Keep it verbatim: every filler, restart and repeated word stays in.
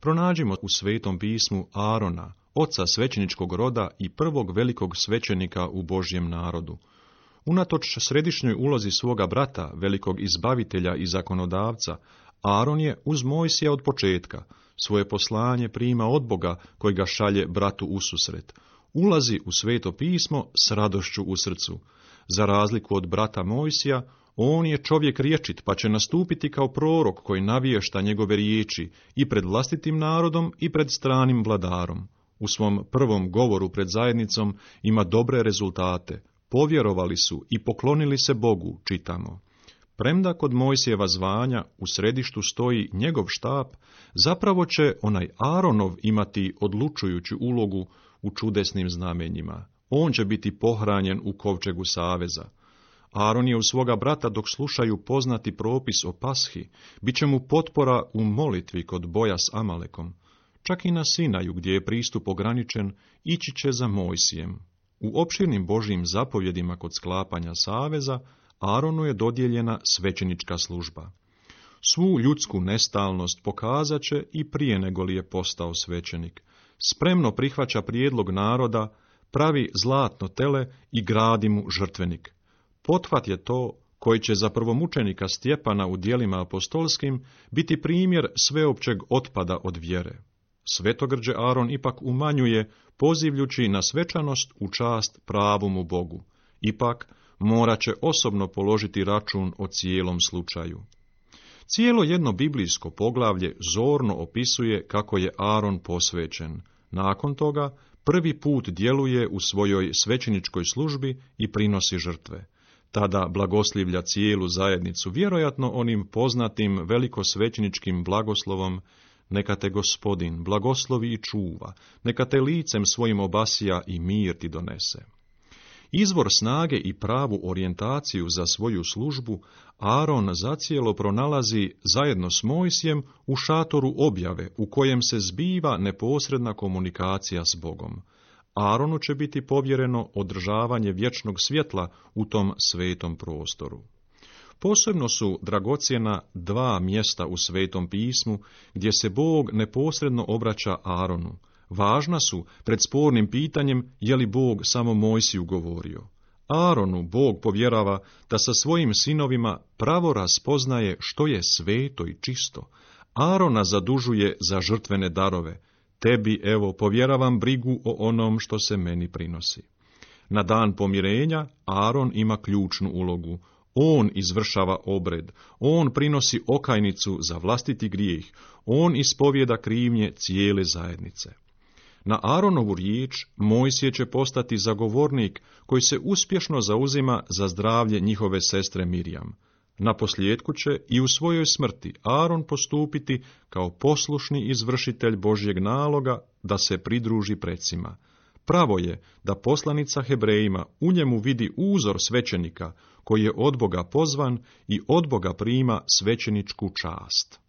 pronađimo u Svetom pismu Arona, oca svećeničkog roda i prvog velikog svećenika u Božjem narodu. Unatoč središnjoj ulozi svoga brata, velikog izbavitelja i zakonodavca, Aron je uz Mojsija od početka. Svoje poslanje prima od Boga koji ga šalje bratu ususret. Ulazi u Sveto pismo s radošću u srcu. Za razliku od brata Mojsija, on je čovjek rječit, pa će nastupiti kao prorok koji navješta njegove riječi i pred vlastitim narodom i pred stranim vladarom. U svom prvom govoru pred zajednicom ima dobre rezultate. Povjerovali su i poklonili se Bogu, čitamo. Premda kod Mojsijeva zvanja u središtu stoji njegov štap, zapravo će onaj Aronov imati odlučujuću ulogu u čudesnim znamenjima. On će biti pohranjen u kovčegu saveza. Aron je u svoga brata dok slušaju poznati propis o Pashi, bit će mu potpora u molitvi kod boja s Amalekom. Čak i na Sinaju, gdje je pristup ograničen, ići će za Mojsijem. U opširnim Božjim zapovjedima kod sklapanja saveza, Aronu je dodijeljena svećenička služba. Svu ljudsku nestalnost pokazat će i prije nego li je postao svećenik. Spremno prihvaća prijedlog naroda, pravi zlatno tele i gradi mu žrtvenik. Pothvat je to koji će za prvomučenika Stjepana u djelima apostolskim biti primjer sveopćeg otpada od vjere. Svetogrđe Aron ipak umanjuje, pozivljući na svečanost u čast pravumu Bogu. Ipak morat će osobno položiti račun o cijelom slučaju. Cijelo jedno biblijsko poglavlje zorno opisuje kako je Aron posvećen. Nakon toga prvi put djeluje u svojoj svećeničkoj službi i prinosi žrtve. Tada blagoslivlja cijelu zajednicu, vjerojatno onim poznatim velikosvećeničkim blagoslovom: neka te Gospodin blagoslovi i čuva, neka te licem svojim obasija i mir ti donese. Izvor snage i pravu orijentaciju za svoju službu Aron zacijelo pronalazi zajedno s Mojsijem u šatoru objave, u kojem se zbiva neposredna komunikacija s Bogom. Aronu će biti povjereno održavanje vječnog svjetla u tom svetom prostoru. Posebno su dragocjena dva mjesta u Svetom pismu gdje se Bog neposredno obraća Aronu. Važna su pred spornim pitanjem je li Bog samo Mojsiju govorio. Aronu Bog povjerava da sa svojim sinovima pravo raspoznaje što je sveto i čisto. Arona zadužuje za žrtvene darove. Tebi, evo, povjeravam brigu o onom što se meni prinosi. Na dan pomirenja Aron ima ključnu ulogu. On izvršava obred, on prinosi okajnicu za vlastiti grijeh, on ispovjeda krivnje cijele zajednice. Na Aronovu riječ Mojsije će postati zagovornik koji se uspješno zauzima za zdravlje njihove sestre Mirjam. Naposljetku će i u svojoj smrti Aron postupiti kao poslušni izvršitelj Božjeg naloga da se pridruži precima. Pravo je da poslanica Hebrejima u njemu vidi uzor svećenika koji je od Boga pozvan i od Boga prima svećeničku čast.